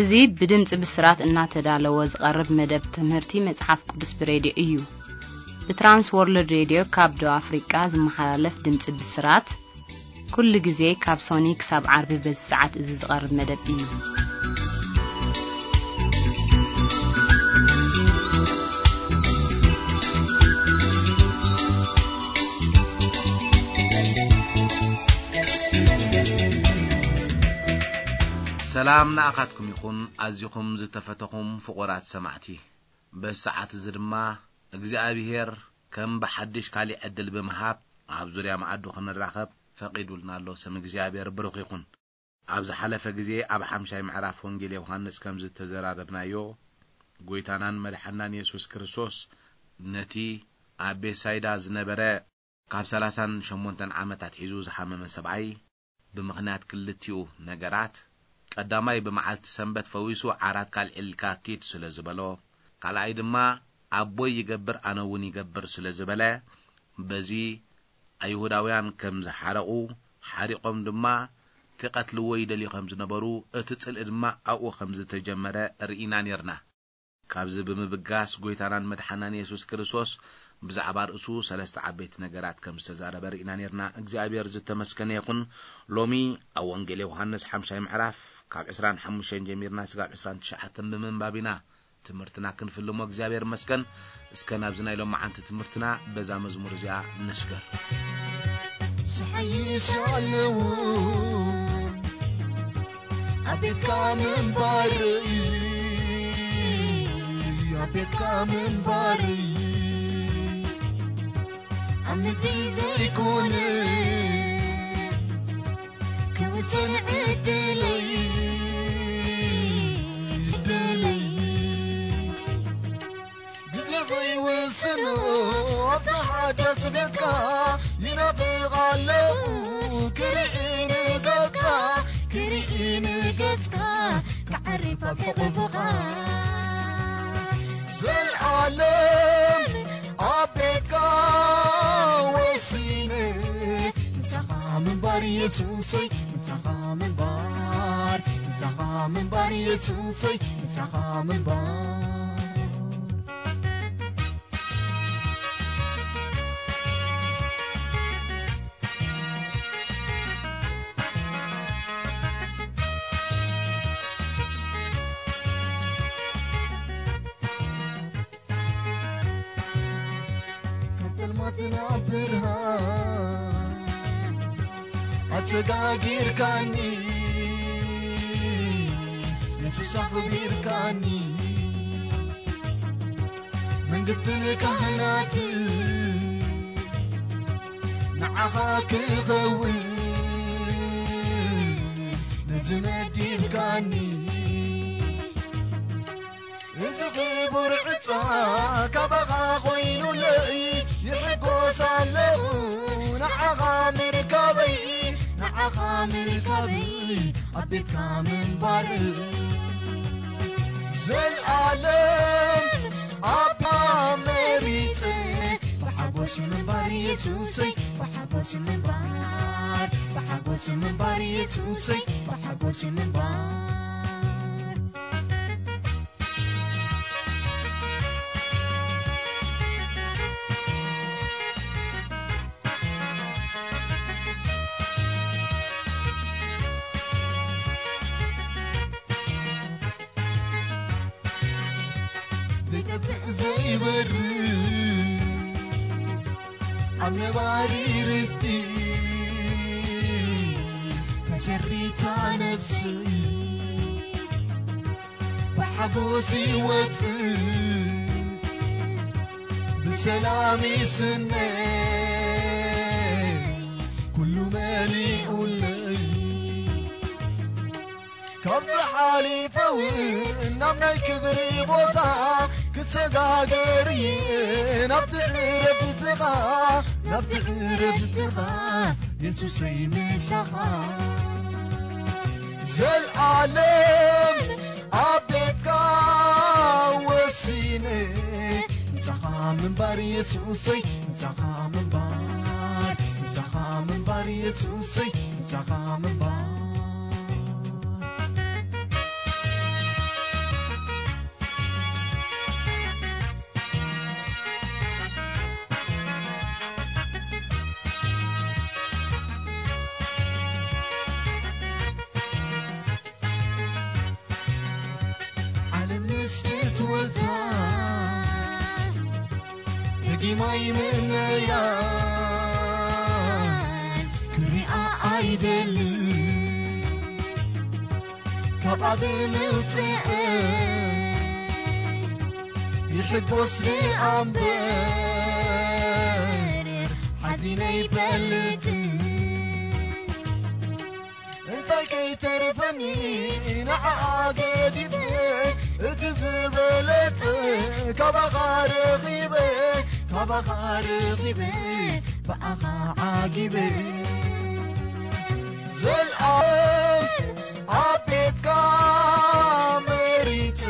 እዚ ብድምፂ ብስራት እናተዳለወ ዝቐርብ መደብ ትምህርቲ መፅሓፍ ቅዱስ ብሬድዮ እዩ። ብትራንስ ወርልድ ሬድዮ ካብ ደቡብ ኣፍሪቃ ዝመሓላለፍ ድምፂ ብስራት ኩሉ ግዜ ካብ ሶኒ ክሳብ ዓርቢ በዚ ሰዓት እዚ ዝቐርብ መደብ እዩ። ሰላም ንኣኻትኩም ይኹን፣ ኣዚኹም ዝተፈተኹም ፍቑራት ሰማዕቲ። በዚ ሰዓት እዚ ድማ እግዚኣብሄር ከም ብሓድሽ ካሊእ ዕድል ብምሃብ ኣብ ዙርያ መኣዱ ክንራኸብ ፈቒዱልና ኣሎ። ስም እግዚኣብሄር ብሩኽ ይኹን። ኣብ ዝሓለፈ ግዜ ኣብ ሓምሻይ ምዕራፍ ወንጌል ዮሃንስ ከም ዝተዘራረብናዮ፣ ጎይታናን መድሓናን የሱስ ክርስቶስ ነቲ ኣብ ቤትሳይዳ ዝነበረ ካብ ሰላሳን ሸሞንተን ዓመት ኣትሒዙ ዝሓመመ ሰብኣይ ብምኽንያት ክልቲኡ ነገራት፣ ቀዳማይ ብመዓልቲ ሰንበት ፈዊሱ ዓራትካ ኣልዒልካ ኪድ ስለ ዝበሎ፣ ካልኣይ ድማ ኣቦይ ይገብር ኣነ እውን ይገብር ስለ ዝበለ፣ በዚ ኣይሁዳውያን ከም ዝሓረቑ፣ ሓሪቖም ድማ ክቐትልዎ ይደልዩ ከም ዝነበሩ፣ እቲ ጽልኢ ድማ ኣብኡ ከም ዝተጀመረ ርኢና ኔርና። ካብዚ ብምብጋስ፣ ጎይታናን መድሓናን የሱስ ክርስቶስ ብዛዕባ ርእሱ ሰለስተ ዓበይቲ ነገራት ከም ዝተዛረበ ርኢና ኔርና። እግዚኣብሔር ዝተመስገነ ይኹን። ሎሚ ኣብ ወንጌል ዮሃንስ ሓምሻይ ምዕራፍ ካብ ዕስራን ሓሙሽተን ጀሚርና ስጋብ ዕስራን ትሽዓተን ብምንባብ ኢና ትምህርትና ክንፍልሞ እግዚኣብሔር መስገን። እስከ ናብዚ ናይ ሎማዓንቲ ትምህርትና በዛ መዝሙር እዚኣ ንስገር። ዝሓይሽ ኣለዉ ኣብ ቤትካ ምንባር፣ ኣብ ቤትካ ምንባር፣ ኣብ ምድሪ ዘይኮነ ክውሰን ዕድለይ፣ ዕድለይ። ግዜ ዘይውስኖ ኣብታ ሓዳስ ቤትካ ይናፍቕ ኣለኹ፣ ክርኢ ንገጽካ፣ ክርኢ ንገጽካ፣ ክዓርፍ ኣብ ሕቑፍኻ። ዘልኣለም ኣብ ቤትካ ወሲነ፣ ምሳኻ ምንባር የሱሰይ፣ ምሳኻ ምንባር፣ ምሳኻ ምንባር የሱሰይ፣ ምሳኻ ምንባር። ካብ ጸልማት ናብ ብርሃን ኣሰጋጊርካኒ፣ የሱስ ኣኽቢርካኒ። መንግስትን ካህናትን ንዓኻ ክኸውን ነዚ መዲብካኒ። እዚ ክቡር ዕፃ ካባኻ ኮይኑለይ፣ ይሕጎስ ኣለኹ ንዓኻ ምርካበይ፣ ንዓኻ ምርካበይ፣ ኣብ ቤትካ ምንባር። ዘልኣለም ኣባ መሪጸ፣ ብሓጎስ ምንባር የሱሰይ፣ ብሓጎስ ምንባር፣ ብሓጎስ ምንባር የሱሰይ፣ ብሓጎስ ምንባር። ዘይጠፍእ ዘይበርድ ኣብ ነባሪ ርስቲ ተሰሪታ ነፍሰይ፣ ብሓጎስ ይወጽእ ብሰላም ይስነ ኩሉ መሊኡለይ። ካብዚ ሓሊፈ እውን ናብ ናይ ክብሪ ቦታ ክሰጋገር እየ፣ ናብቲ ዕረፍትኻ፣ ናብቲ ዕረፍትኻ የሱሰይ ምሳኻ። ዘልኣለም ኣብ ቤትካ ወሲነ፣ ምሳኻ ምንባር የሱሰይ፣ ምሳኻ ምንባር፣ ምሳኻ ምንባር የሱሰይ፣ ምሳኻ ምንባር። ማይ ምእነያን ክሪኣ ኣይደልን። ካብኣ ብምውፅእ ይሕጎስ እምበር ሓዚነ ኣይፈልጥን። እንታይ ከይተርፈኒ ንዓኣ ገዲፈ፣ እቲ ዝበለጸ ካባኻ ረኺበ፣ ካባኻ ረኺበ፣ ብኣኻ ዓጊበ። ዘልኣለም ኣብ ቤትካ መሪጸ፣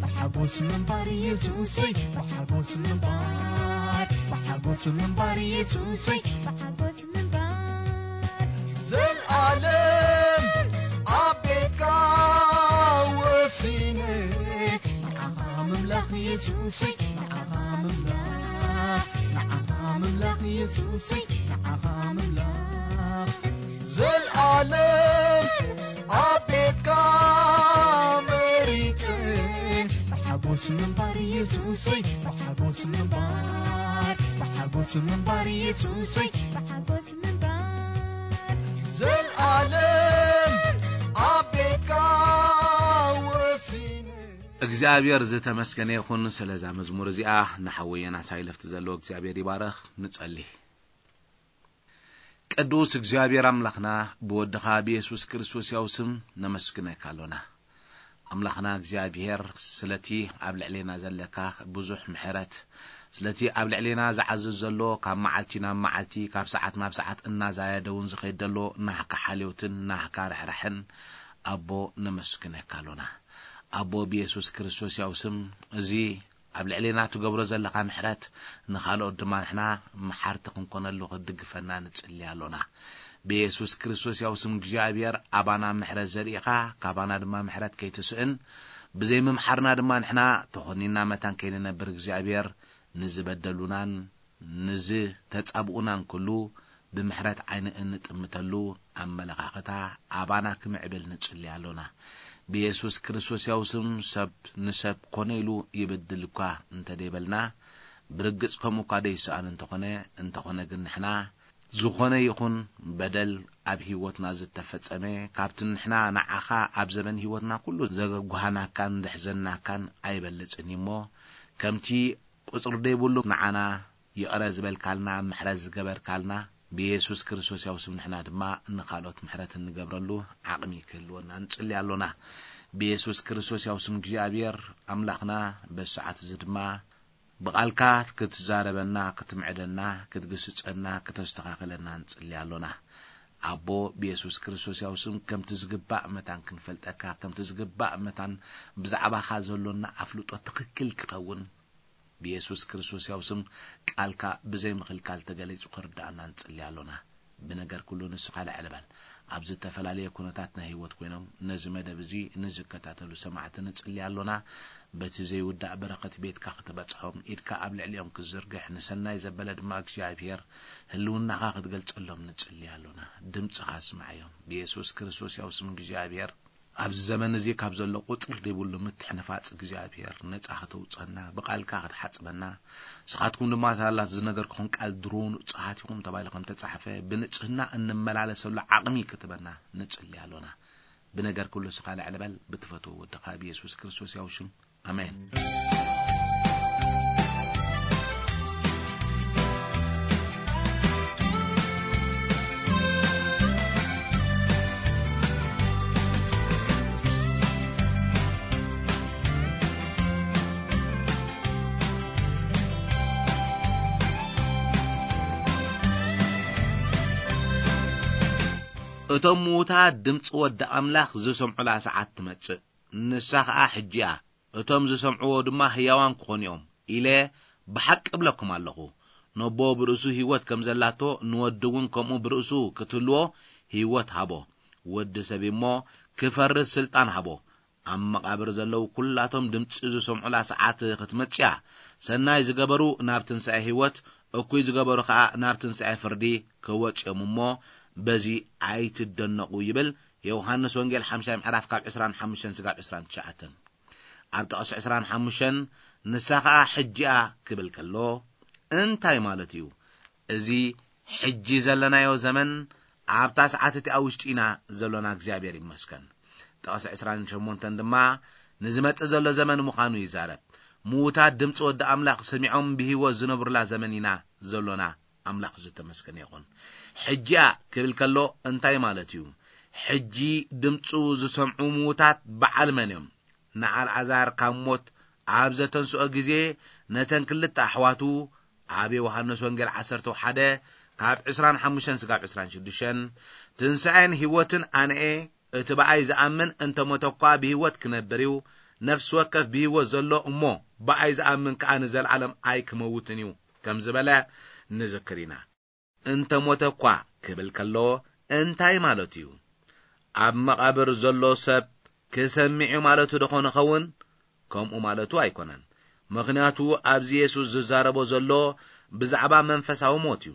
ብሓጎስ ምንባር የሱሰይ፣ ብሓጎስ ምንባር፣ ብሓጎስ ምንባር የሱሰይ፣ ብሓጎስ ምንባር። ዘልኣለም ኣብ ቤትካ ወሲነ፣ ንዓኻ ምምላኽ የሱሰይ፣ ንዓኻ ምምላኽ፣ ንዓኻ ምምላኽ የሱሰይ፣ ንዓኻ ምምላኽ። ዘልኣለም ኣብ ቤትካ መሪጸ፣ ብሓጎስ ምንባር የሱሰይ፣ ብሓጎስ ምንባር፣ ብሓጎስ ምንባር የሱሰይ፣ ብሓጎስ ምንባር። ዘልኣለም ኣብ ቤትካ ወሲነ። እግዚኣብሔር ዝተመስገነ ይኹን ስለዛ መዝሙር እዚኣ። ንሓወይ ዮናስ ሃይለፍቲ ዘለዎ እግዚኣብሔር ይባረኽ። ንጸሊ። ቅዱስ እግዚኣብሔር ኣምላኽና፣ ብወድኻ ብየሱስ ክርስቶስ ያው ስም ነመስግነካ ኣሎና። ኣምላኽና እግዚኣብሔር፣ ስለቲ ኣብ ልዕሌና ዘለካ ብዙሕ ምሕረት፣ ስለቲ ኣብ ልዕሌና ዝዓዝዝ ዘሎ፣ ካብ መዓልቲ ናብ መዓልቲ፣ ካብ ሰዓት ናብ ሰዓት እናዛየደ እውን ዝኸይድ ዘሎ ናህካ ሓልዮትን ናህካ ርሕራሕን፣ ኣቦ፣ ነመስግነካ ኣሎና። ኣቦ፣ ብየሱስ ክርስቶስ ያው ስም፣ እዚ ኣብ ልዕሌና ትገብሮ ዘለኻ ምሕረት፣ ንኻልኦት ድማ ንሕና መሓርቲ ክንኮነሉ ክትድግፈና ንጽሊ ኣሎና። ብየሱስ ክርስቶስ ያው ስም እግዚኣብሔር፣ ኣባና ምሕረት ዘርኢኻ፣ ካባና ድማ ምሕረት ከይትስእን፣ ብዘይ ምምሓርና ድማ ንሕና ተኾኒና መታን ከይንነብር እግዚኣብሔር፣ ንዝበደሉናን ንዝተጻብኡናን ኩሉ ብምሕረት ዓይኒ እንጥምተሉ ኣመለኻኽታ ኣባና ክምዕብል ንጽሊ ኣሎና። ብየሱስ ክርስቶስ ያው ስም፣ ሰብ ንሰብ ኮነ ኢሉ ይበድል እኳ እንተ ደይበልና፣ ብርግጽ ከምኡ እኳ ደይሰኣን እንተኾነ፣ እንተኾነ ግን ንሕና ዝኾነ ይኹን በደል ኣብ ህይወትና ዝተፈጸመ፣ ካብቲ ንሕና ንዓኻ ኣብ ዘመን ህይወትና ኩሉ ዘገጓህናካን ዘሕዘንናካን ኣይበልጽን እዩ እሞ፣ ከምቲ ቁጽሪ ደይብሉ ንዓና ይቕረ ዝበልካልና፣ ምሕረት ዝገበርካልና፣ ብየሱስ ክርስቶስ ያው ስም ንሕና ድማ ንኻልኦት ምሕረት እንገብረሉ ዓቕሚ ክህልወና ንጽሊ ኣሎና። ብየሱስ ክርስቶስ ያው ስም እግዚኣብሔር ኣምላኽና፣ በዚ ሰዓት እዚ ድማ ብቓልካ ክትዛረበና፣ ክትምዕደና፣ ክትግስጸና፣ ክተስተኻኽለና ንጽሊ ኣሎና። ኣቦ፣ ብየሱስ ክርስቶስ ያው ስም ከምቲ ዝግባእ መታን ክንፈልጠካ፣ ከምቲ ዝግባእ መታን ብዛዕባኻ ዘሎና ኣፍልጦ ትኽክል ክኸውን፣ ብየሱስ ክርስቶስ ያው ስም ቃልካ ብዘይ ምኽልካል ተገሊጹ ክርድኣና ንጽሊ ኣሎና። ብነገር ኩሉ ንስኻ ልዕል በል። ኣብ ዝተፈላለየ ኩነታት ናይ ህይወት ኮይኖም ነዚ መደብ እዚ ንዝከታተሉ ሰማዕቲ ንጽሊ ኣሎና። በቲ ዘይውዳእ በረኸት ቤትካ ክትበጽሖም፣ ኢድካ ኣብ ልዕሊኦም ክትዝርግሕ፣ ንሰናይ ዘበለ ድማ እግዚኣብሔር ህልውናኻ ክትገልጸሎም ንጽሊ ኣሎና። ድምጽኻ ስምዓዮም። ብየሱስ ክርስቶስ ያው ስም እግዚኣብሔር ኣብዚ ዘመን እዚ ካብ ዘሎ ቁጽሪ ዘይብሉ ምትሕንፋጽ እግዚኣብሔር ነጻ ከተውጸና፣ ብቓልካ ክትሓጽበና፣ ንስኻትኩም ድማ ሳላ ዝነገርኩኹም ቃል ድሮ ንጹሃት ኢኹም ተባሂሉ ከም ተጻሕፈ፣ ብንጽህና እንመላለሰሉ ዓቕሚ ክትበና ንጽሊ ኣሎና። ብነገር ኩሉ ስኻ ልዕል በል፣ ብትፈትዎ ወድኻ ብየሱስ ክርስቶስ ያው ሽም። ኣሜን። እቶም ምዉታት ድምፂ ወዲ ኣምላኽ ዝሰምዑላ ሰዓት ትመጽእ፣ ንሳ ኸኣ ሕጂ እያ። እቶም ዝሰምዕዎ ድማ ህያዋን ክኾኑ እዮም ኢለ ብሓቂ እብለኩም ኣለኹ። ነቦ ብርእሱ ህይወት ከም ዘላቶ ንወዲ እውን ከምኡ ብርእሱ ክትህልዎ ህይወት ሃቦ። ወዲ ሰብ እሞ ክፈርድ ስልጣን ሃቦ። ኣብ መቓብር ዘለዉ ኩላቶም ድምፂ ዝሰምዑላ ሰዓት ክትመጽእ እያ። ሰናይ ዝገበሩ ናብ ትንሳኤ ህይወት፣ እኩይ ዝገበሩ ኸኣ ናብ ትንሳኤ ፍርዲ ክወጽኦም እሞ በዚ ኣይትደነቑ ይብል። ዮሃንስ ወንጌል ሓምሻይ ምዕራፍ ካብ ዕስራን ሓሙሽተን ስጋብ ዕስራን ትሽዓተን። ኣብ ጥቕሲ ዕስራን ሓሙሽተን ንሳ ኸኣ ሕጂ እያ ክብል ከሎ፣ እንታይ ማለት እዩ? እዚ ሕጂ ዘለናዮ ዘመን ኣብታ ሰዓት እቲኣ ውሽጢ ኢና ዘሎና፣ እግዚኣብሔር ይመስገን። ጥቕሲ ዕስራን ሸሞንተን ድማ ንዝመጽእ ዘሎ ዘመን ምዃኑ ይዛረብ። ምዉታት ድምፂ ወዲ ኣምላኽ ሰሚዖም ብህይወት ዝነብሩላ ዘመን ኢና ዘሎና። ኣምላኽ ዝተመስገነ ይኹን። ሕጂኣ ክብል ከሎ እንታይ ማለት እዩ? ሕጂ ድምፁ ዝሰምዑ ምዉታት በዓል መን እዮም? ንኣልዓዛር ካብ ሞት ኣብ ዘተንስኦ ግዜ ነተን ክልተ ኣሕዋቱ ኣብ ዮሃንስ ወንጌል ዓሰርተ ሓደ ካብ ዕስራን ሓሙሽተን ስጋብ ዕስራን ሽዱሽተን፣ ትንሳኤን ህይወትን ኣነኤ፣ እቲ ብኣይ ዝኣምን እንተ ሞተ እኳ ብህይወት ክነብር እዩ፣ ነፍሲ ወከፍ ብህይወት ዘሎ እሞ ብኣይ ዝኣምን ከኣ ንዘለኣለም ኣይክመውትን እዩ ከም ዝበለ ንዝክር ኢና። እንተ ሞተ እኳ ክብል ከሎ እንታይ ማለቱ እዩ? ኣብ መቓብር ዘሎ ሰብ ክሰምዕ እዩ ማለቱ ደኾን ይኸውን? ከምኡ ማለቱ ኣይኮነን። ምኽንያቱ ኣብዚ የሱስ ዝዛረቦ ዘሎ ብዛዕባ መንፈሳዊ ሞት እዩ።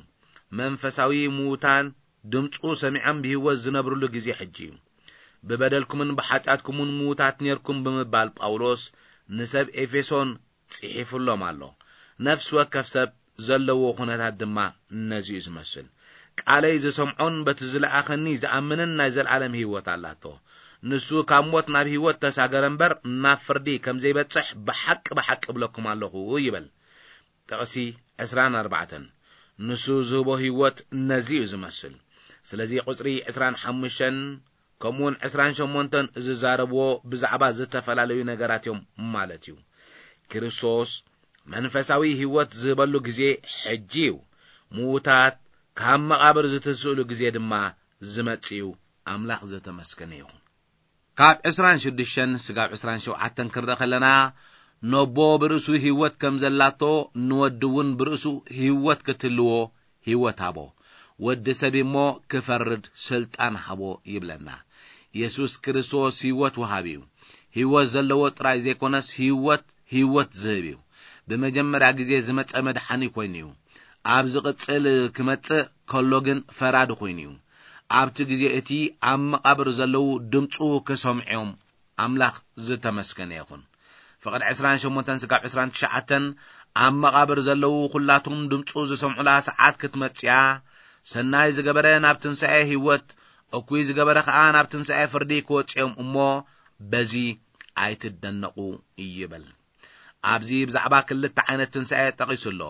መንፈሳዊ ምዉታን ድምፁ ሰሚዖም ብህይወት ዝነብርሉ ግዜ ሕጂ እዩ። ብበደልኩምን ብሓጢኣትኩምን ምዉታት ኔርኩም ብምባል ጳውሎስ ንሰብ ኤፌሶን ጽሒፉሎም ኣሎ። ነፍሲ ወከፍ ሰብ ዘለዎ ኩነታት ድማ ነዚ እዩ ዝመስል። ቃለይ ዝሰምዖን በቲ ዝለኣኸኒ ዝኣምንን ናይ ዘለኣለም ህይወት ኣላቶ። ንሱ ካብ ሞት ናብ ህይወት ተሳገረ እምበር ናብ ፍርዲ ከም ዘይበጽሕ ብሓቂ ብሓቂ እብለኩም ኣለኹ ይብል። ጥቕሲ ዕስራን ኣርባዕተን። ንሱ ዝህቦ ህይወት ነዚ እዩ ዝመስል። ስለዚ ቁጽሪ ዕስራን ሓሙሽተን ከምኡውን ዕስራን ሸሞንተን ዝዛረብዎ ብዛዕባ ዝተፈላለዩ ነገራት እዮም ማለት እዩ። ክርስቶስ መንፈሳዊ ህይወት ዝህበሉ ግዜ ሕጂ እዩ። ምዉታት ካብ መቓብር ዝትንስእሉ ግዜ ድማ ዝመጽእ እዩ። ኣምላኽ ዝተመስገነ ይኹን። ካብ ዕስራን ሽዱሽተን ስጋብ ዕስራን ሸውዓተን ክንርኢ ከለና፣ ነቦ ብርእሱ ህይወት ከም ዘላቶ፣ ንወዲ እውን ብርእሱ ህይወት ክትህልዎ ህይወት ሃቦ። ወዲ ሰብ እሞ ክፈርድ ስልጣን ሃቦ ይብለና። የሱስ ክርስቶስ ህይወት ወሃቢ እዩ። ህይወት ዘለዎ ጥራይ ዘይኮነስ ህይወት፣ ህይወት ዝህብ እዩ። ብመጀመርያ ግዜ ዝመጸ መድሓኒ ኮይኑ እዩ። ኣብ ዝቕጽል ክመጽእ ከሎ ግን ፈራዲ ኮይኑ እዩ። ኣብቲ ግዜ እቲ ኣብ መቓብር ዘለዉ ድምፁ ክሰምዑ እዮም። ኣምላኽ ዝተመስገነ ይኹን። ፍቕድ ዕስራን ሸሞንተን ስጋብ ዕስራን ትሽዓተን፣ ኣብ መቓብር ዘለዉ ኩላቶም ድምፁ ዝሰምዑላ ሰዓት ክትመጽእ እያ። ሰናይ ዝገበረ ናብ ትንሳኤ ህይወት፣ እኩይ ዝገበረ ኸኣ ናብ ትንሳኤ ፍርዲ ክወጽእ እዮም እሞ፣ በዚ ኣይትደነቑ ይብል። ኣብዚ ብዛዕባ ክልተ ዓይነት ትንሳኤ ጠቒሱ ኣሎ።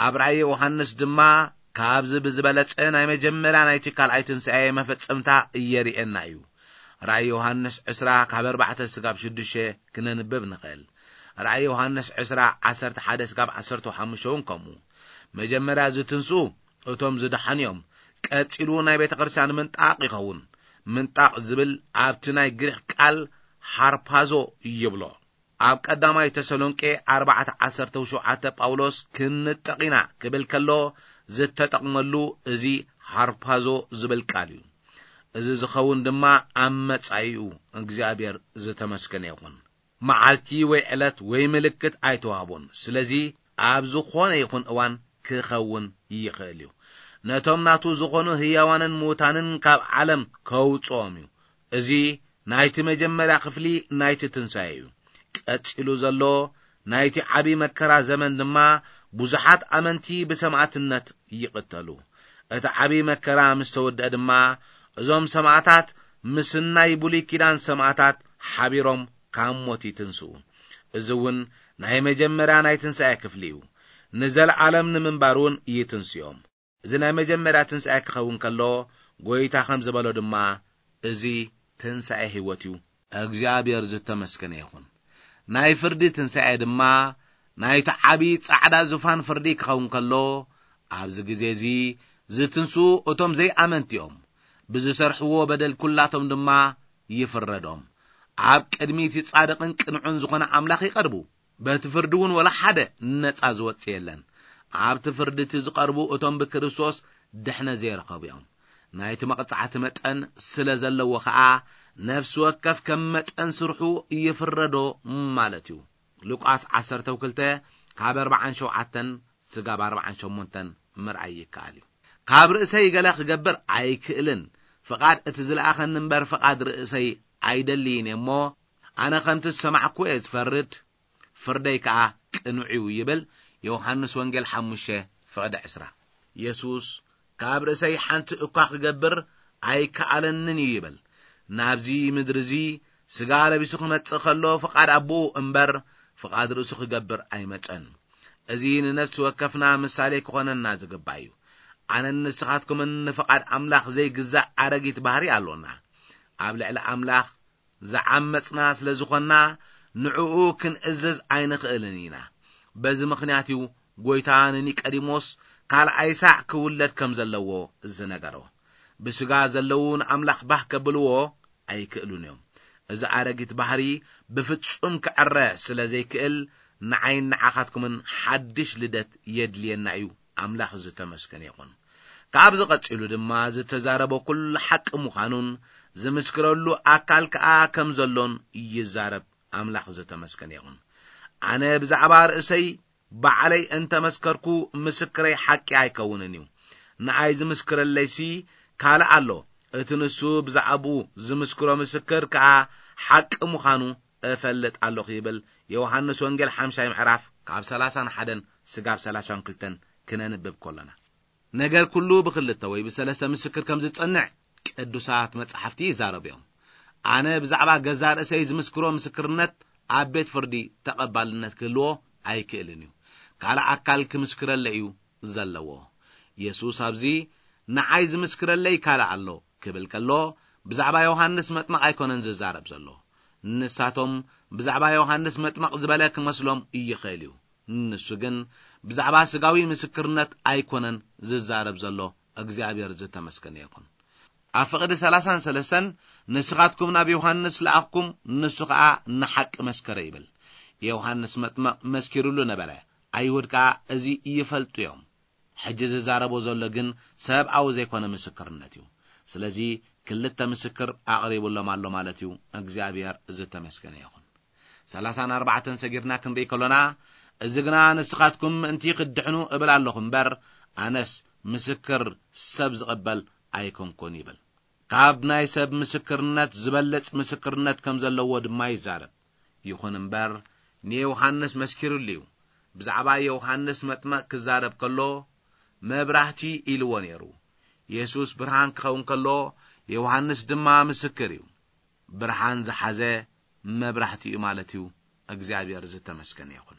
ኣብ ራእይ ዮሃንስ ድማ ካብዚ ብዝበለጸ ናይ መጀመርያ ናይቲ ካልኣይ ትንሳኤ መፈጸምታ የርእየና እዩ። ራእይ ዮሃንስ ዕስራ ካብ ኣርባዕተ ስጋብ ሽዱሽተ ክነንብብ ንኽእል። ራእይ ዮሃንስ ዕስራ ዓሰርተ ሓደ ስጋብ ዓሰርተ ሓሙሽተ እውን ከምኡ። መጀመርያ ዝትንስኡ እቶም ዝደሓኑ እዮም። ቀጺሉ ናይ ቤተ ክርስቲያን ምንጣቕ ይኸውን። ምንጣቕ ዝብል ኣብቲ ናይ ግሪኽ ቃል ሃርፓዞ ይብሎ። ኣብ ቀዳማይ ተሰሎንቄ ኣርባዕተ ዓሰርተ ሸውዓተ ጳውሎስ ክንንጠቕ ኢና ክብል ከሎ ዝተጠቕመሉ እዚ ሃርፓዞ ዝብል ቃል እዩ። እዚ ዝኸውን ድማ ኣብ መጻኢኡ እግዚኣብሔር ዝተመስገነ ይኹን። መዓልቲ ወይ ዕለት ወይ ምልክት ኣይተዋህቦን። ስለዚ ኣብ ዝኾነ ይኹን እዋን ክኸውን ይኽእል እዩ። ነቶም ናቱ ዝኾኑ ህያዋንን ምዉታንን ካብ ዓለም ከውጽኦም እዩ። እዚ ናይቲ መጀመርያ ክፍሊ ናይቲ ትንሳኤ እዩ። ቀጺሉ ዘሎ ናይቲ ዓቢ መከራ ዘመን ድማ ብዙሓት ኣመንቲ ብሰማእትነት ይቕተሉ። እቲ ዓቢ መከራ ምስ ተወድአ ድማ እዞም ሰማእታት ምስ ናይ ብሉይ ኪዳን ሰማእታት ሓቢሮም ካብ ሞት ይትንስኡ። እዚ እውን ናይ መጀመርያ ናይ ትንሳኤ ክፍሊ እዩ። ንዘለኣለም ንምንባር እውን ይትንስዮም። እዚ ናይ መጀመርያ ትንሳኤ ክኸውን ከሎ፣ ጎይታ ከም ዝበሎ ድማ፣ እዚ ትንሳኤ ህይወት እዩ። እግዚኣብሔር ዝተመስገነ ይኹን። ናይ ፍርዲ ትንሳኤ ድማ፣ ናይቲ ዓቢ ጻዕዳ ዙፋን ፍርዲ ክኸውን ከሎ፣ ኣብዚ ግዜ እዚ ዝትንስኡ እቶም ዘይኣመንቲ እዮም። ብዝሰርሕዎ በደል ኩላቶም ድማ ይፍረዶም። ኣብ ቅድሚ እቲ ጻድቕን ቅኑዕን ዝኾነ ኣምላኽ ይቐርቡ። በቲ ፍርዲ እውን ወላ ሓደ ነጻ ዝወጽእ የለን። ኣብቲ ፍርዲ እቲ ዝቐርቡ እቶም ብክርስቶስ ድሕነት ዘይረኸቡ እዮም። ናይቲ መቕጻዕቲ መጠን ስለ ዘለዎ ኸኣ፣ ነፍሲ ወከፍ ከም መጠን ስርሑ ይፍረዶ ማለት እዩ። ሉቃስ ዓሰርተ ክልተ ካብ ኣርባዓን ሸውዓተን ስጋብ ኣርባዓን ሸሞንተን ምርኣይ ይከኣል እዩ። ካብ ርእሰይ ገለ ክገብር ኣይክእልን፣ ፍቓድ እቲ ዝለኣኸኒ እምበር ፍቓድ ርእሰይ ኣይደልይን እየ እሞ፣ ኣነ ከምቲ ዝሰማዕኩ እየ ዝፈርድ፣ ፍርደይ ከኣ ቅኑዕ እዩ ይብል ዮሃንስ ወንጌል ሓሙሽተ ፍቕዲ ዕስራ። የሱስ፣ "ካብ ርእሰይ ሓንቲ እኳ ክገብር ኣይከኣለንን እዩ" ይብል። ናብዚ ምድሪ እዚ ስጋ ለቢሱ ክመጽእ ከሎ ፍቓድ ኣቦኡ እምበር ፍቓድ ርእሱ ክገብር ኣይመጸን። እዚ ንነፍሲ ወከፍና ምሳሌ ክኾነና ዝግባእ እዩ። ኣነን ንስኻትኩምን ንፍቓድ ኣምላኽ ዘይግዛእ ኣረጊት ባህሪ ኣሎና። ኣብ ልዕሊ ኣምላኽ ዝዓመጽና ስለ ዝኾንና ንዕኡ ክንእዘዝ ኣይንኽእልን ኢና። በዚ ምኽንያት እዩ ጎይታ ንኒቀዲሞስ ካልኣይ ሳዕ ክውለድ ከም ዘለዎ ዝነገሮ። ብስጋ ዘለዉ ንኣምላኽ ባህ ከብልዎ ኣይክእሉን እዮም። እዚ ኣረጊት ባህሪ ብፍጹም ክዕረ ስለ ዘይክእል ንዓይን ንዓኻትኩምን ሓድሽ ልደት የድልየና እዩ። ኣምላኽ ዝተመስገነ ይኹን። ካብዚ ቀጺሉ ድማ ዝተዛረቦ ኩሉ ሓቂ ምዃኑን ዝምስክረሉ ኣካል ከኣ ከም ዘሎን ይዛረብ። ኣምላኽ ዝተመስገነ ይኹን። ኣነ ብዛዕባ ርእሰይ ባዕለይ እንተ መስከርኩ ምስክረይ ሓቂ ኣይከውንን እዩ። ንኣይ ዝምስክረለይሲ ካልእ ኣሎ። እቲ ንሱ ብዛዕባኡ ዝምስክሮ ምስክር ከኣ ሓቂ ምዃኑ እፈልጥ ኣለኹ ይብል። ዮሃንስ ወንጌል ሓምሻይ ምዕራፍ ካብ ሰላሳን ሓደን ስጋብ ሰላሳን ክልተን ክነንብብ ከሎና። ነገር ኩሉ ብክልተ ወይ ብሰለስተ ምስክር ከም ዝጸንዕ ቅዱሳት መጻሕፍቲ ይዛረቡ እዮም። ኣነ ብዛዕባ ገዛእ ርእሰይ ዝምስክሮ ምስክርነት ኣብ ቤት ፍርዲ ተቐባልነት ክህልዎ ኣይክእልን እዩ። ካልእ ኣካል ክምስክረለይ እዩ ዘለዎ። የሱስ ኣብዚ ንዓይ ዝምስክረለይ ካልእ ኣሎ ክብል ከሎ ብዛዕባ ዮሃንስ መጥመቕ ኣይኮነን ዝዛረብ ዘሎ። ንሳቶም ብዛዕባ ዮሃንስ መጥመቕ ዝበለ ክመስሎም ይኽእል እዩ። ንሱ ግን ብዛዕባ ስጋዊ ምስክርነት ኣይኮነን ዝዛረብ ዘሎ። እግዚኣብሔር ዝተመስገነ ይኹን። ኣብ ፍቕዲ ሰላሳን ሰለስተን ንስኻትኩም ናብ ዮሃንስ ለኣኽኩም፣ ንሱ ኸኣ ንሓቂ መስከረ ይብል። ዮሃንስ መጥመቕ መስኪሩሉ ነበረ። ኣይሁድ ከኣ እዚ ይፈልጡ እዮም። ሕጂ ዝዛረቦ ዘሎ ግን ሰብኣዊ ዘይኮነ ምስክርነት እዩ። ስለዚ ክልተ ምስክር ኣቕሪቡሎም ኣሎ ማለት እዩ። እግዚኣብሔር ዝተመስገነ ይኹን። ሰላሳን ኣርባዕተን ሰጊርና ክንርኢ ከሎና፣ እዚ ግና ንስኻትኩም ምእንቲ ክትድሕኑ እብል ኣለኹ እምበር፣ ኣነስ ምስክር ሰብ ዝቕበል ኣይኮንኩን ይብል። ካብ ናይ ሰብ ምስክርነት ዝበልጽ ምስክርነት ከም ዘለዎ ድማ ይዛረብ። ይኹን እምበር፣ ንዮሃንስ መስኪሩሉ እዩ። ብዛዕባ ዮሃንስ መጥመቕ ክዛረብ ከሎ፣ መብራህቲ ኢልዎ ነይሩ። የሱስ ብርሃን ክኸውን ከሎ፣ ዮሃንስ ድማ ምስክር እዩ። ብርሃን ዝሓዘ መብራህቲ እዩ ማለት እዩ። እግዚኣብሔር ዝተመስገነ ይኹን።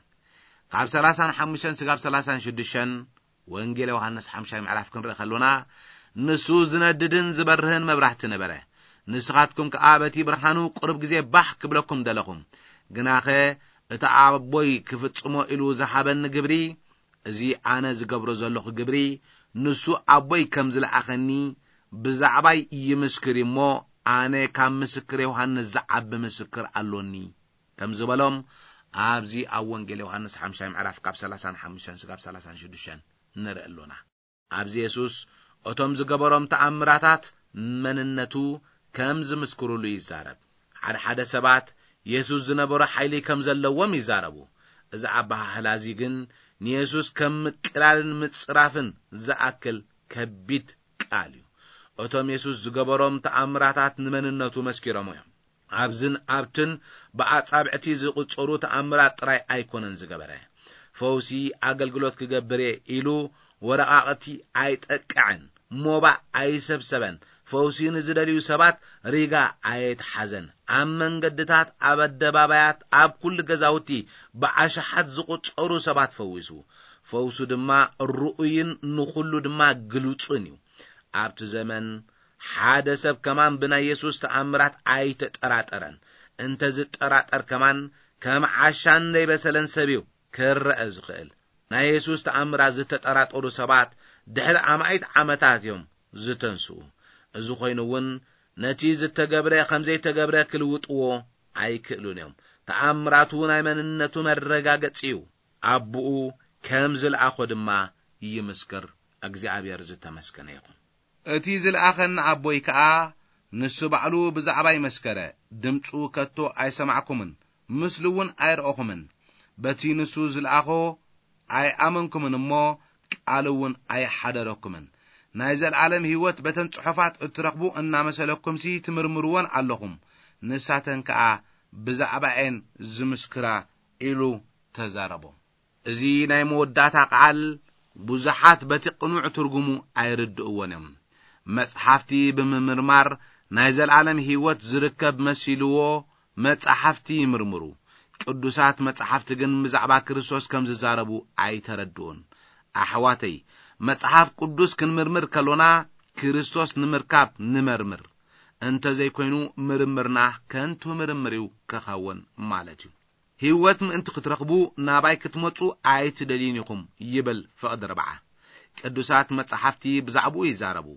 ካብ ሰላሳን ሓሙሽተን ስጋብ ሰላሳን ሽዱሽተን ወንጌል ዮሃንስ ሓምሻይ ምዕራፍ ክንርኢ ከሎና፣ ንሱ ዝነድድን ዝበርህን መብራህቲ ነበረ። ንስኻትኩም ከኣ በቲ ብርሃኑ ቁሩብ ግዜ ባህ ክብለኩም ደለኹ። ግናኸ እቲ ኣቦይ ክፍጽሞ ኢሉ ዝሃበኒ ግብሪ፣ እዚ ኣነ ዝገብሮ ዘለኹ ግብሪ፣ ንሱ ኣቦይ ከም ዝለኣኸኒ ብዛዕባይ ይምስክር እዩ እሞ፣ ኣነ ካብ ምስክር ዮሃንስ ዝዓቢ ምስክር ኣሎኒ። ከም ዝበሎም፣ ኣብዚ ኣብ ወንጌል ዮሃንስ ሓምሻይ ምዕራፍ ካብ ሰላሳን ሓሙሽተን ስጋብ ሰላሳን ሽዱሽተን ንርኢ ኣሎና። ኣብዚ የሱስ፣ እቶም ዝገበሮም ተኣምራታት መንነቱ ከም ዝምስክሩሉ ይዛረብ። ሓደ ሓደ ሰባት፣ የሱስ ዝነበሮ ሓይሊ ከም ዘለዎም ይዛረቡ። እዚ ኣበሃህላ እዚ ግን፣ ንየሱስ ከም ምቅላልን ምጽራፍን ዝኣክል ከቢድ ቃል እዩ። እቶም የሱስ ዝገበሮም ተኣምራታት ንመንነቱ መስኪሮም እዮም። ኣብዝን ኣብትን ብኣጻብዕቲ ዝቑጸሩ ተኣምራት ጥራይ ኣይኮነን ዝገበረ። ፈውሲ ኣገልግሎት ክገብር እየ ኢሉ ወረቓቕቲ ኣይጠቅዐን፣ ሞባእ ኣይሰብሰበን፣ ፈውሲ ንዝደልዩ ሰባት ሪጋ ኣየትሓዘን። ኣብ መንገድታት፣ ኣብ ኣደባባያት፣ ኣብ ኩሉ ገዛውቲ ብኣሽሓት ዝቑጸሩ ሰባት ፈዊሱ። ፈውሱ ድማ ርኡይን ንኹሉ ድማ ግሉጽን እዩ። ኣብቲ ዘመን ሓደ ሰብ ከማን ብናይ የሱስ ተኣምራት ኣይተጠራጠረን። እንተ ዝጠራጠር ከማን ከም ዓሻን ዘይበሰለን ሰብ እዩ ክረአ ዝኽእል። ናይ የሱስ ተኣምራት ዝተጠራጠሩ ሰባት ድሕሪ ኣማኢት ዓመታት እዮም ዝተንስኡ። እዚ ኮይኑ እውን ነቲ ዝተገብረ ከም ዘይተገብረ ክልውጥዎ ኣይክእሉን እዮም። ተኣምራቱ ናይ መንነቱ መረጋገጺ እዩ። ኣቦኡ ከም ዝለኣኾ ድማ ይምስክር። እግዚኣብሔር ዝተመስገነ ይኹን። እቲ ዝለኣኸኒ ኣቦይ ከኣ ንሱ ባዕሉ ብዛዕባይ መስከረ። ድምፁ ከቶ ኣይሰማዕኩምን፣ ምስሉ እውን ኣይረኣኹምን። በቲ ንሱ ዝለኣኾ ኣይኣመንኩምን እሞ፣ ቃል እውን ኣይሓደረኩምን። ናይ ዘለዓለም ህይወት በተን ጽሑፋት እትረኽቡ እናመሰለኩምሲ ትምርምርወን ኣለኹም። ንሳተን ከኣ ብዛዕባኤን ዝምስክራ ኢሉ ተዛረቦም። እዚ ናይ መወዳእታ ቃል ብዙሓት በቲ ቅኑዕ ትርጉሙ ኣይርድእዎን እዮም። መጽሓፍቲ ብምምርማር ናይ ዘላለም ህይወት ዝርከብ መሲልዎ መጻሕፍቲ ይምርምሩ። ቅዱሳት መጻሕፍቲ ግን ብዛዕባ ክርስቶስ ከም ዝዛረቡ ኣይተረድኡን። ኣሕዋተይ፣ መጽሓፍ ቅዱስ ክንምርምር ከሎና ክርስቶስ ንምርካብ ንመርምር። እንተ ዘይኮይኑ ምርምርና ከንቱ ምርምር እዩ ክኸውን ማለት እዩ። ህይወት ምእንቲ ክትረኽቡ ናባይ ክትመጹ ኣይትደልዩን ኢኹም ይብል ፍቕዲ ርብዓ። ቅዱሳት መጻሕፍቲ ብዛዕባኡ ይዛረቡ።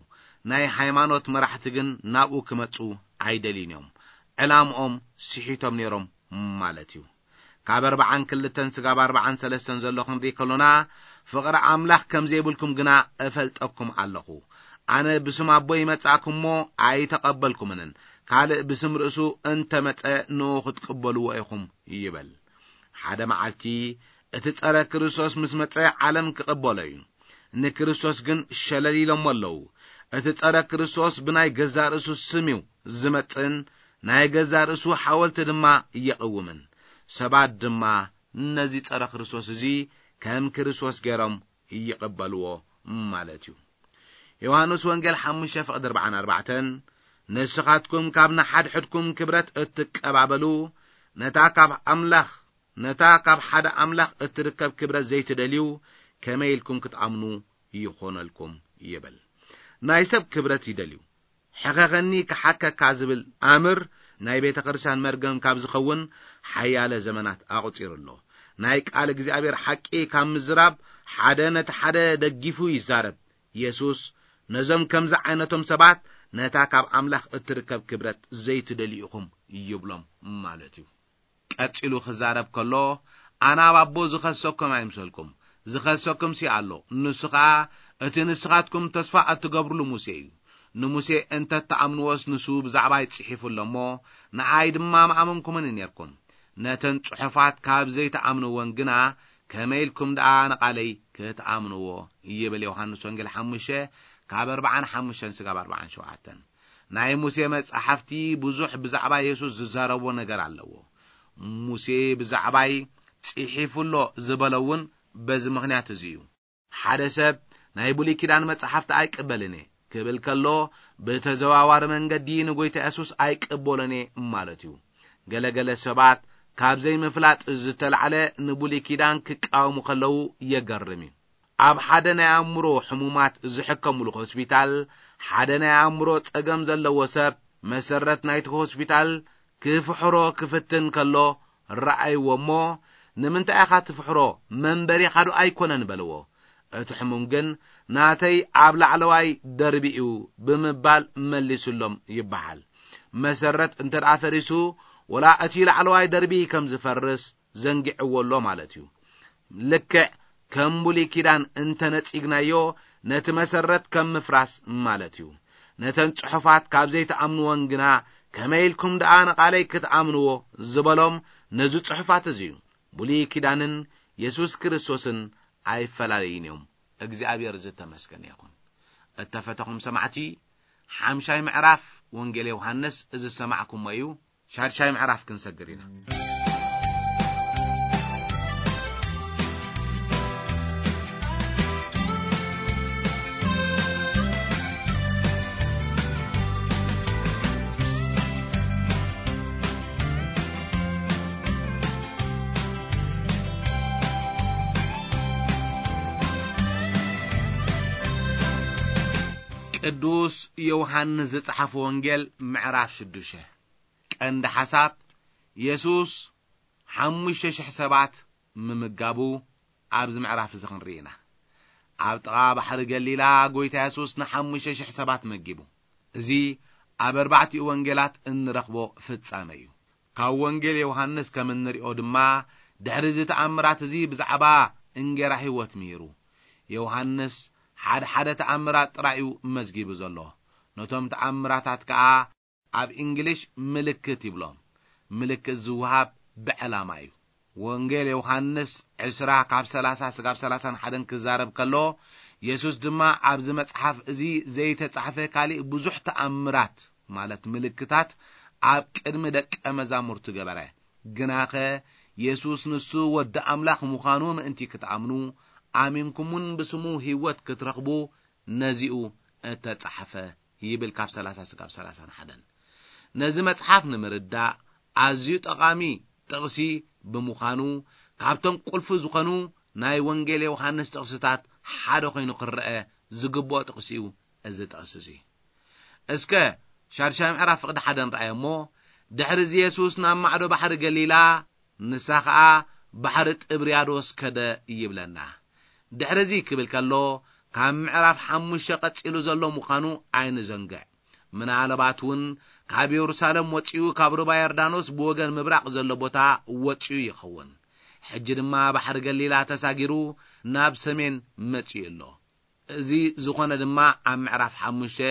ናይ ሃይማኖት መራሕቲ ግን ናብኡ ክመጹ ኣይደልዩን እዮም። ዕላምኦም ስሒቶም ነይሮም ማለት እዩ። ካብ ኣርብዓን ክልተን ስጋብ ኣርብዓን ሰለስተን ዘሎ ክንርኢ ከሎና፣ ፍቕሪ ኣምላኽ ከም ዘይብልኩም ግና እፈልጠኩም ኣለኹ። ኣነ ብስም ኣቦ ይመጻእኩሞ ኣይተቐበልኩምንን፣ ካልእ ብስም ርእሱ እንተመጸ ንኡ ክትቅበልዎ ኢኹም ይበል። ሓደ መዓልቲ እቲ ጸረ ክርስቶስ ምስ መጸ ዓለም ክቕበሎ እዩ። ንክርስቶስ ግን ሸለል ኢሎሞ ኣለዉ። እቲ ጸረ ክርስቶስ ብናይ ገዛእ ርእሱ ስም እዩ ዝመጽእን ናይ ገዛእ ርእሱ ሓወልቲ ድማ የቕውምን። ሰባት ድማ ነዚ ጸረ ክርስቶስ እዚ ከም ክርስቶስ ገይሮም ይቕበልዎ ማለት እዩ። ዮሃንስ ወንጌል ሓሙሽተ ፍቕዲ ኣርብዓን ኣርባዕተን፣ ንስኻትኩም ካብ ንሓድሕድኩም ክብረት እትቀባበሉ፣ ነታ ካብ ኣምላኽ፣ ነታ ካብ ሓደ ኣምላኽ እትርከብ ክብረት ዘይትደልዩ፣ ከመይ ኢልኩም ክትኣምኑ ይኾነልኩም ይብል። ናይ ሰብ ክብረት ይደልዩ። ሕኸኸኒ ክሓከካ ዝብል ኣምር ናይ ቤተ ክርስቲያን መርገም ካብ ዝኸውን ሓያለ ዘመናት ኣቑጺሩ ኣሎ። ናይ ቃል እግዚኣብሔር ሓቂ ካብ ምዝራብ ሓደ ነቲ ሓደ ደጊፉ ይዛረብ። የሱስ ነዞም ከምዚ ዓይነቶም ሰባት ነታ ካብ ኣምላኽ እትርከብ ክብረት ዘይትደልዩ ኢኹም ይብሎም ማለት እዩ። ቀጺሉ ክዛረብ ከሎ፣ ኣነ ኣብ ኣቦ ዝኸሰኩም ኣይምሰልኩም፣ ዝኸሰኩም ሲ ኣሎ፣ ንሱ ኸኣ እቲ ንስኻትኩም ተስፋ እትገብርሉ ሙሴ እዩ። ንሙሴ እንተ እትኣምንዎስ ንሱ ብዛዕባይ ጽሒፉ ኣሎ እሞ፣ ንኣይ ድማ ምኣመንኩምኒ ኔርኩም። ነተን ጽሑፋት ካብ ዘይትኣምንወን ግና፣ ከመይ ኢልኩም ደኣ ንቓለይ ክትኣምንዎ? ይብል ዮሃንስ ወንጌል ሓሙሽተ ካብ ኣርብዓን ሓሙሽተን ስጋብ ኣርብዓን ሸውዓተን። ናይ ሙሴ መጻሕፍቲ ብዙሕ ብዛዕባ የሱስ ዝዛረቦ ነገር ኣለዎ። ሙሴ ብዛዕባይ ጽሒፉ ኣሎ ዝበሎ እውን በዚ ምኽንያት እዚ እዩ። ሓደ ሰብ ናይ ብሉይ ኪዳን መጻሕፍቲ ኣይቅበልን እየ ክብል ከሎ፣ ብተዘዋዋሪ መንገዲ ንጎይታ የሱስ ኣይቅበሎን እየ ማለት እዩ። ገለገለ ሰባት ካብ ዘይምፍላጥ ዝተላዕለ ንብሉይ ኪዳን ክቃወሙ ከለዉ የገርም እዩ። ኣብ ሓደ ናይ ኣእምሮ ሕሙማት ዝሕከሙሉ ሆስፒታል፣ ሓደ ናይ ኣእምሮ ጸገም ዘለዎ ሰብ መሰረት ናይቲ ሆስፒታል ክፍሕሮ ክፍትን ከሎ ረኣይዎ እሞ፣ "ንምንታይ ኢኻ ትፍሕሮ? መንበሪኻ ዶ ኣይኮነን?" በልዎ። እቲ ሕሙም ግን፣ "ናተይ ኣብ ላዕለዋይ ደርቢ እዩ" ብምባል መሊሱሎም ይበሃል። መሰረት እንተ ደኣ ፈሪሱ፣ ወላ እቲ ላዕለዋይ ደርቢ ከም ዝፈርስ ዘንጊዕዎ ኣሎ ማለት እዩ። ልክዕ ከም ብሉይ ኪዳን እንተ ነጺግናዮ፣ ነቲ መሰረት ከም ምፍራስ ማለት እዩ። ነተን ጽሑፋት ካብ ዘይትኣምንወን ግና፣ ከመይ ኢልኩም ደኣ ንቓለይ ክትኣምንዎ ዝበሎም ነዚ ጽሑፋት እዚ እዩ። ብሉይ ኪዳንን የሱስ ክርስቶስን ኣይፈላለዩን እዮም። እግዚኣብሔር ዝተመስገነ ይኹን። እተፈተኹም ሰማዕቲ፣ ሓምሻይ ምዕራፍ ወንጌል ዮሃንስ እዚ ዝሰማዕኩሞ እዩ። ሻድሻይ ምዕራፍ ክንሰግር ኢና። ቅዱስ ዮሃንስ ዝጸሓፎ ወንጌል ምዕራፍ ሽዱሽተ። ቀንዲ ሓሳብ፣ የሱስ ሓሙሽተ ሽሕ ሰባት ምምጋቡ ኣብዚ ምዕራፍ እዚ ክንርኢ ኢና። ኣብ ጥቓ ባሕሪ ገሊላ፣ ጎይታ የሱስ ንሓሙሽተ ሽሕ ሰባት መጊቡ። እዚ ኣብ ኣርባዕቲኡ ወንጌላት እንረኽቦ ፍጻመ እዩ። ካብ ወንጌል ዮሃንስ ከም እንሪኦ ድማ፣ ድሕሪ እዚ ተኣምራት እዚ ብዛዕባ እንጌራ ህይወት ምሂሩ። ዮሃንስ ሓደ ሓደ ተኣምራት ጥራይ እዩ መዝጊቡ ዘሎ። ነቶም ተኣምራታት ከኣ ኣብ እንግሊሽ ምልክት ይብሎም። ምልክት ዝወሃብ ብዕላማ እዩ። ወንጌል ዮሃንስ ዕስራ ካብ ሰላሳ ስጋብ ሰላሳን ሓደን ክዛረብ ከሎ፣ የሱስ ድማ ኣብዚ መጽሓፍ እዚ ዘይተጻሕፈ ካልእ ብዙሕ ተኣምራት፣ ማለት ምልክታት፣ ኣብ ቅድሚ ደቀ መዛሙርቱ ገበረ። ግናኸ የሱስ ንሱ ወዲ ኣምላኽ ምዃኑ ምእንቲ ክትኣምኑ፣ ኣሚንኩምን ብስሙ ህይወት ክትረኽቡ ነዚኡ እተጻሕፈ ይብል ካብ ሰላሳ ስጋብ ሰላሳ ሓደን። ነዚ መጽሓፍ ንምርዳእ ኣዝዩ ጠቓሚ ጥቕሲ ብምዃኑ፣ ካብቶም ቁልፊ ዝኾኑ ናይ ወንጌል ዮሃንስ ጥቕስታት ሓደ ኮይኑ ክረአ ዝግብኦ ጥቕሲ እዩ እዚ ጥቕሲ እዚ። እስከ ሻድሻይ ምዕራፍ ፍቕዲ ሓደ ንረኣዮ እሞ፣ ድሕሪ እዚ የሱስ ናብ ማዕዶ ባሕሪ ገሊላ፣ ንሳ ኸኣ ባሕሪ ጥብርያዶስ ከደ ይብለና። ድሕሪ እዚ ክብል ከሎ፣ ካብ ምዕራፍ ሓሙሽተ ቀጺሉ ዘሎ ምዃኑ ኣይንዘንግዕ። ምናልባት እውን ካብ የሩሳሌም ወጺኡ ካብ ሩባ ዮርዳኖስ ብወገን ምብራቕ ዘሎ ቦታ ወጺኡ ይኸውን። ሕጂ ድማ ባሕሪ ገሊላ ተሳጊሩ ናብ ሰሜን መጺኡ ኣሎ። እዚ ዝኾነ ድማ ኣብ ምዕራፍ ሓሙሽተ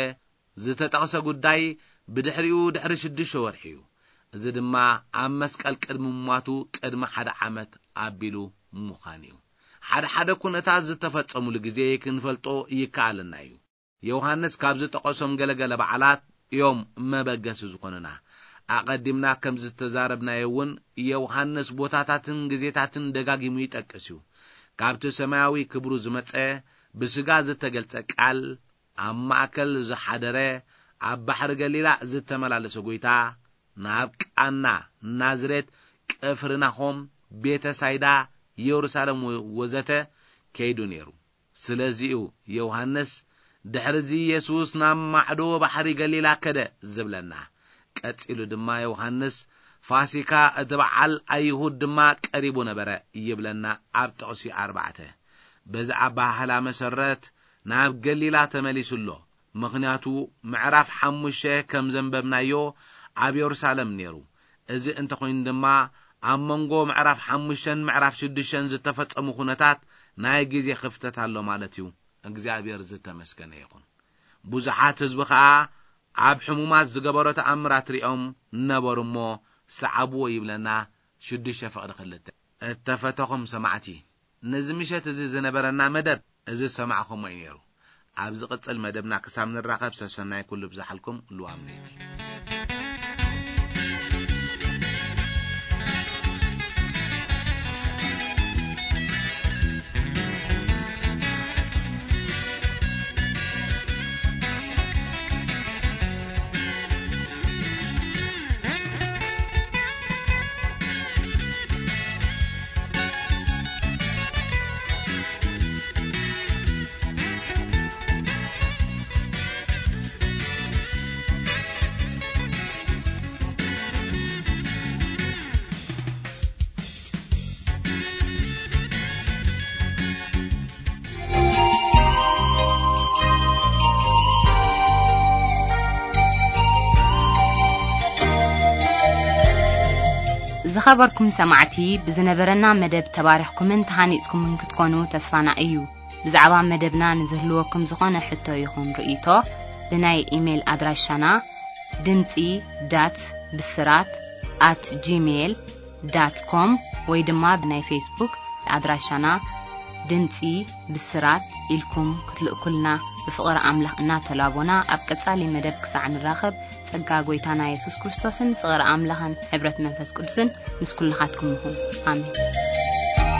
ዝተጠቕሰ ጉዳይ ብድሕሪኡ ድሕሪ ሽዱሽተ ወርሒ እዩ። እዚ ድማ ኣብ መስቀል ቅድሚ ምሟቱ ቅድሚ ሓደ ዓመት ኣቢሉ ምዃን እዩ። ሓደ ሓደ ኩነታት ዝተፈጸሙሉ ግዜ ክንፈልጦ ይከኣለና እዩ። ዮሃንስ ካብ ዝጠቐሶም ገለገለ በዓላት እዮም መበገሲ ዝኾኑና። ኣቐዲምና ከም ዝተዛረብናዮ እውን፣ ዮሃንስ ቦታታትን ግዜታትን ደጋጊሙ ይጠቅስ እዩ። ካብቲ ሰማያዊ ክብሩ ዝመጸ፣ ብስጋ ዝተገልጸ ቃል፣ ኣብ ማእከል ዝሓደረ፣ ኣብ ባሕሪ ገሊላ ዝተመላለሰ ጐይታ፣ ናብ ቃና፣ ናዝሬት፣ ቅፍርናሆም፣ ቤተ ሳይዳ፣ የሩሳሌም ወ-፣ ወዘተ ከይዱ ነይሩ። ስለዚ'ዩ ዮሃንስ፣ ድሕርዚ የሱስ ናብ ማዕዶ ባሕሪ ገሊላ ከደ ዝብለና። ቀጺሉ ድማ ዮሃንስ፣ ፋሲካ እቲ በዓል ኣይሁድ ድማ ቀሪቡ ነበረ ይብለና ኣብ ጥቕሲ ኣርባዕተ። በዚ ኣበሃህላ መሰረት ናብ ገሊላ ተመሊሱ ኣሎ። ምኽንያቱ ምዕራፍ ሓሙሽተ ከም ዘንበብናዮ ኣብ የሩሳሌም ነይሩ። እዚ እንተኾይኑ ድማ ኣብ መንጎ ምዕራፍ ሓሙሽተን ምዕራፍ ሽዱሽተን ዝተፈጸሙ ኩነታት ናይ ግዜ ክፍተት ኣሎ ማለት እዩ። እግዚኣብሔር ዝተመስገነ ይኹን። ብዙሓት ህዝቢ ኸኣ ኣብ ሕሙማት ዝገበሮ ተኣምራት ሪኦም ነበሩ እሞ ሰዓብዎ ይብለና ሽዱሽተ ፍቕዲ ክልተ። እተፈተኹም ሰማዕቲ፣ ነዚ ምሸት እዚ ዝነበረና መደብ እዚ ዝሰማዕኹሞ እዩ ነይሩ። ኣብ ዝቕጽል መደብና ክሳብ ንራኸብ ሰሰናይ ኩሉ ብዝሓልኩም ልዋም ለይቲ። ዝኸበርኩም ሰማዕቲ፣ ብዝነበረና መደብ ተባሪኽኩምን ተሃኒጽኩምን ክትኮኑ ተስፋና እዩ። ብዛዕባ መደብና ንዝህልወኩም ዝኾነ ሕቶ ይኹን ርእይቶ፣ ብናይ ኢሜይል ኣድራሻና ድምጺ ዳት ብስራት ኣት ጂሜይል ዳት ኮም ወይ ድማ ብናይ ፌስቡክ ኣድራሻና ድምጺ ብስራት ኢልኩም ክትልእኩልና ብፍቕሪ ኣምላኽ እናተላቦና፣ ኣብ ቀጻሊ መደብ ክሳዕ ንራኸብ፣ ጸጋ ጐይታና የሱስ ክርስቶስን ፍቕሪ ኣምላኽን ሕብረት መንፈስ ቅዱስን ምስ ኩልኻትኩም ይኹን። ኣሜን።